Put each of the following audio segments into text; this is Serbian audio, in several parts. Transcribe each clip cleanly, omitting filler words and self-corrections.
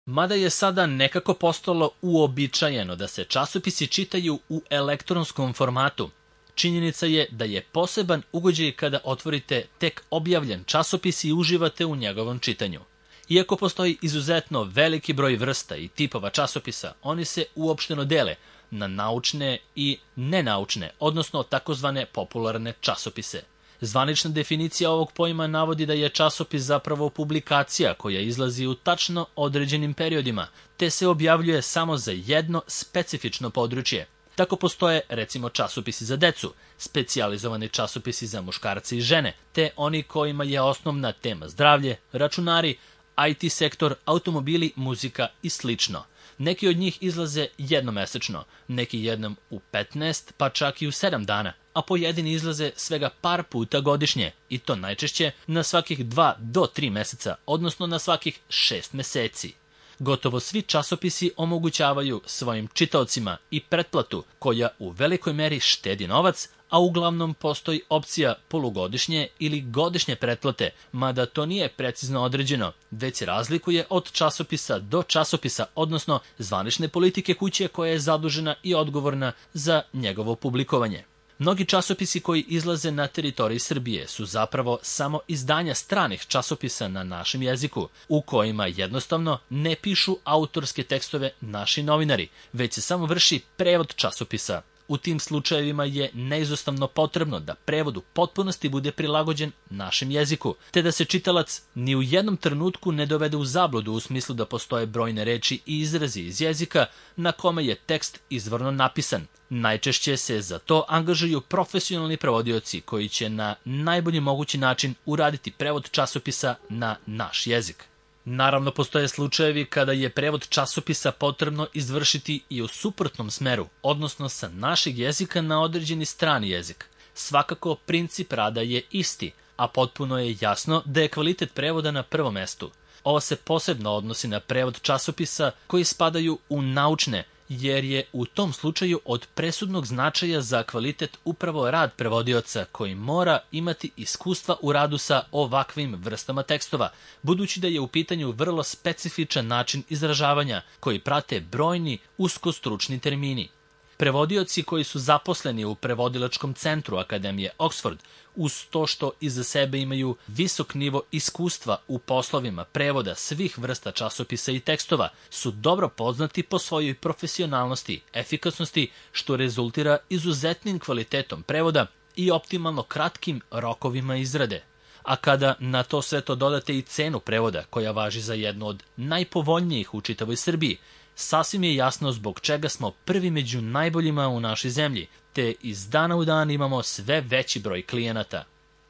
Mada je sada nekako postalo uobičajeno da se časopisi čitaju u elektronskom formatu, činjenica je da je poseban ugođaj kada otvorite tek objavljen časopis i uživate u njegovom čitanju. Iako postoji izuzetno veliki broj vrsta i tipova časopisa, oni se uopšteno dele na naučne i nenaučne, odnosno takozvane popularne časopise. Zvanična definicija ovog pojma navodi da je časopis zapravo publikacija koja izlazi u tačno određenim periodima, te se objavljuje samo za jedno specifično područje. Tako postoje, recimo, časopisi za decu, specijalizovani časopisi za muškarce i žene, te oni kojima je osnovna tema zdravlje, računari, IT sektor, automobili, muzika i slično. Neki od njih izlaze jednomesečno, neki jednom u 15, pa čak i u 7 dana, a pojedini izlaze svega par puta godišnje, i to najčešće na svakih 2 do 3 meseca, odnosno na svakih 6 meseci. Gotovo svi časopisi omogućavaju svojim čitaocima i pretplatu koja u velikoj meri štedi novac, a uglavnom postoji opcija polugodišnje ili godišnje pretplate, mada to nije precizno određeno, već se razlikuje od časopisa do časopisa, odnosno zvanične politike kuće koja je zadužena i odgovorna za njegovo publikovanje. Mnogi časopisi koji izlaze na teritoriji Srbije su zapravo samo izdanja stranih časopisa na našem jeziku, u kojima jednostavno ne pišu autorske tekstove naši novinari, već se samo vrši prevod časopisa. U tim slučajevima je neizostavno potrebno da prevod u potpunosti bude prilagođen našem jeziku, te da se čitalac ni u jednom trenutku ne dovede u zabludu u smislu da postoje brojne reči i izrazi iz jezika na kome je tekst izvorno napisan. Najčešće se za to angažuju profesionalni prevodioci koji će na najbolji mogući način uraditi prevod časopisa na naš jezik. Naravno, postoje slučajevi kada je prevod časopisa potrebno izvršiti i u suprotnom smeru, odnosno sa našeg jezika na određeni strani jezik. Svakako, princip rada je isti, a potpuno je jasno da je kvalitet prevoda na prvom mestu. Ovo se posebno odnosi na prevod časopisa koji spadaju u naučne, jer je u tom slučaju od presudnog značaja za kvalitet upravo rad prevodioca koji mora imati iskustva u radu sa ovakvim vrstama tekstova, budući da je u pitanju vrlo specifičan način izražavanja koji prate brojni uskostručni termini. Prevodioci koji su zaposleni u prevodilačkom centru Akademije Oxford, uz to što iza sebe imaju visok nivo iskustva u poslovima prevoda svih vrsta časopisa i tekstova, su dobro poznati po svojoj profesionalnosti, efikasnosti, što rezultira izuzetnim kvalitetom prevoda i optimalno kratkim rokovima izrade. A kada na to sve to dodate i cenu prevoda, koja važi za jednu od najpovoljnijih u čitavoj Srbiji, sasvim je jasno zbog čega smo prvi među najboljima u našoj zemlji, te iz dana u dan imamo sve veći broj klijenata.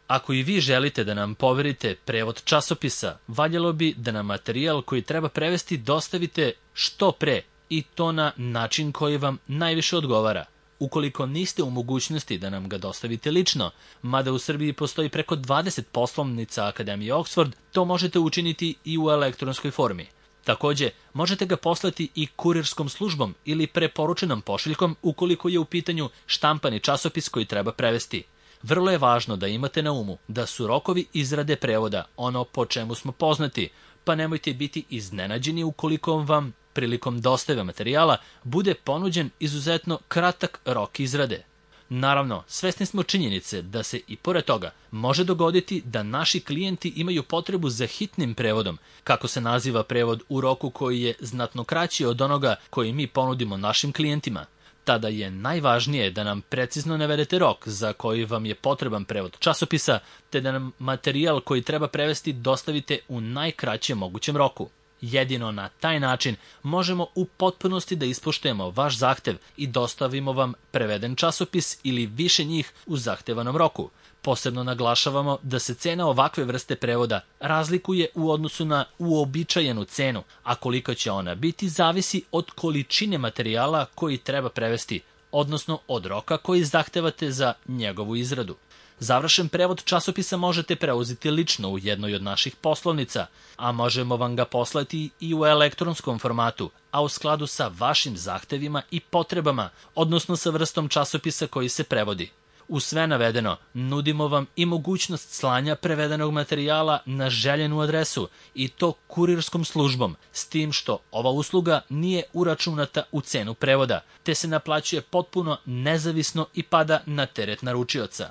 Ako i vi želite da nam poverite prevod časopisa, valjalo bi da nam materijal koji treba prevesti dostavite što pre, i to na način koji vam najviše odgovara. Ukoliko niste u mogućnosti da nam ga dostavite lično, mada u Srbiji postoji preko 20 poslovnica Akademije Oxford, to možete učiniti i u elektronskoj formi. Takođe, možete ga poslati i kurirskom službom ili preporučenom pošiljkom ukoliko je u pitanju štampani časopis koji treba prevesti. Vrlo je važno da imate na umu da su rokovi izrade prevoda ono po čemu smo poznati, pa nemojte biti iznenađeni ukoliko vam prilikom dostave materijala bude ponuđen izuzetno kratak rok izrade. Naravno, svesni smo činjenice da se i pored toga može dogoditi da naši klijenti imaju potrebu za hitnim prevodom, kako se naziva prevod u roku koji je znatno kraći od onoga koji mi ponudimo našim klijentima. Tada je najvažnije da nam precizno navedete rok za koji vam je potreban prevod časopisa, te da nam materijal koji treba prevesti dostavite u najkraćem mogućem roku. Jedino na taj način možemo u potpunosti da ispoštujemo vaš zahtev i dostavimo vam preveden časopis ili više njih u zahtevanom roku. Posebno naglašavamo da se cena ovakve vrste prevoda razlikuje u odnosu na uobičajenu cenu, a kolika će ona biti zavisi od količine materijala koji treba prevesti, odnosno od roka koji zahtevate za njegovu izradu. Završen prevod časopisa možete preuzeti lično u jednoj od naših poslovnica, a možemo vam ga poslati i u elektronskom formatu, a u skladu sa vašim zahtevima i potrebama, odnosno sa vrstom časopisa koji se prevodi. Uz sve navedeno, nudimo vam i mogućnost slanja prevedenog materijala na željenu adresu i to kurirskom službom, s tim što ova usluga nije uračunata u cenu prevoda, te se naplaćuje potpuno nezavisno i pada na teret naručioca.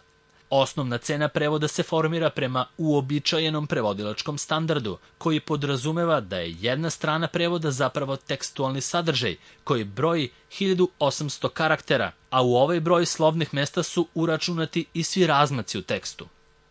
Osnovna cena prevoda se formira prema uobičajenom prevodilačkom standardu, koji podrazumeva da je jedna strana prevoda zapravo tekstualni sadržaj, koji broji 1800 karaktera, a u ovaj broj slovnih mesta su uračunati i svi razmaci u tekstu.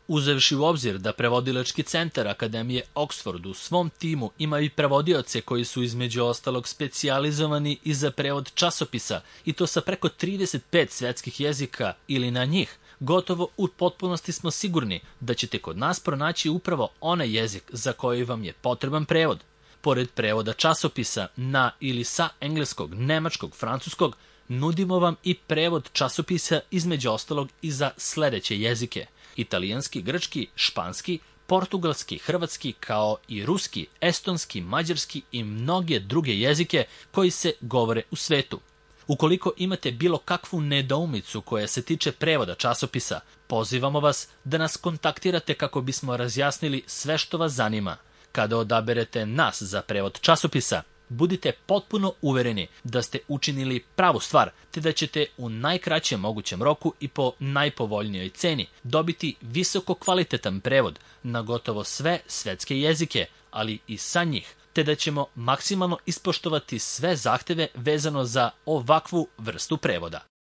Uzevši u obzir da prevodilački centar Akademije Oxford u svom timu ima i prevodioce koji su između ostalog specijalizovani i za prevod časopisa, i to sa preko 35 svetskih jezika ili na njih, gotovo u potpunosti smo sigurni da ćete kod nas pronaći upravo onaj jezik za koji vam je potreban prevod. Pored prevoda časopisa na ili sa engleskog, nemačkog, francuskog, nudimo vam i prevod časopisa između ostalog i za sledeće jezike: italijanski, grčki, španski, portugalski, hrvatski, kao i ruski, estonski, mađarski i mnoge druge jezike koji se govore u svetu. Ukoliko imate bilo kakvu nedoumicu koja se tiče prevoda časopisa, pozivamo vas da nas kontaktirate kako bismo razjasnili sve što vas zanima. Kada odaberete nas za prevod časopisa, budite potpuno uvereni da ste učinili pravu stvar, te da ćete u najkraćem mogućem roku i po najpovoljnijoj ceni dobiti visoko kvalitetan prevod na gotovo sve svetske jezike, ali i sa njih, te da ćemo maksimalno ispoštovati sve zahteve vezano za ovakvu vrstu prevoda.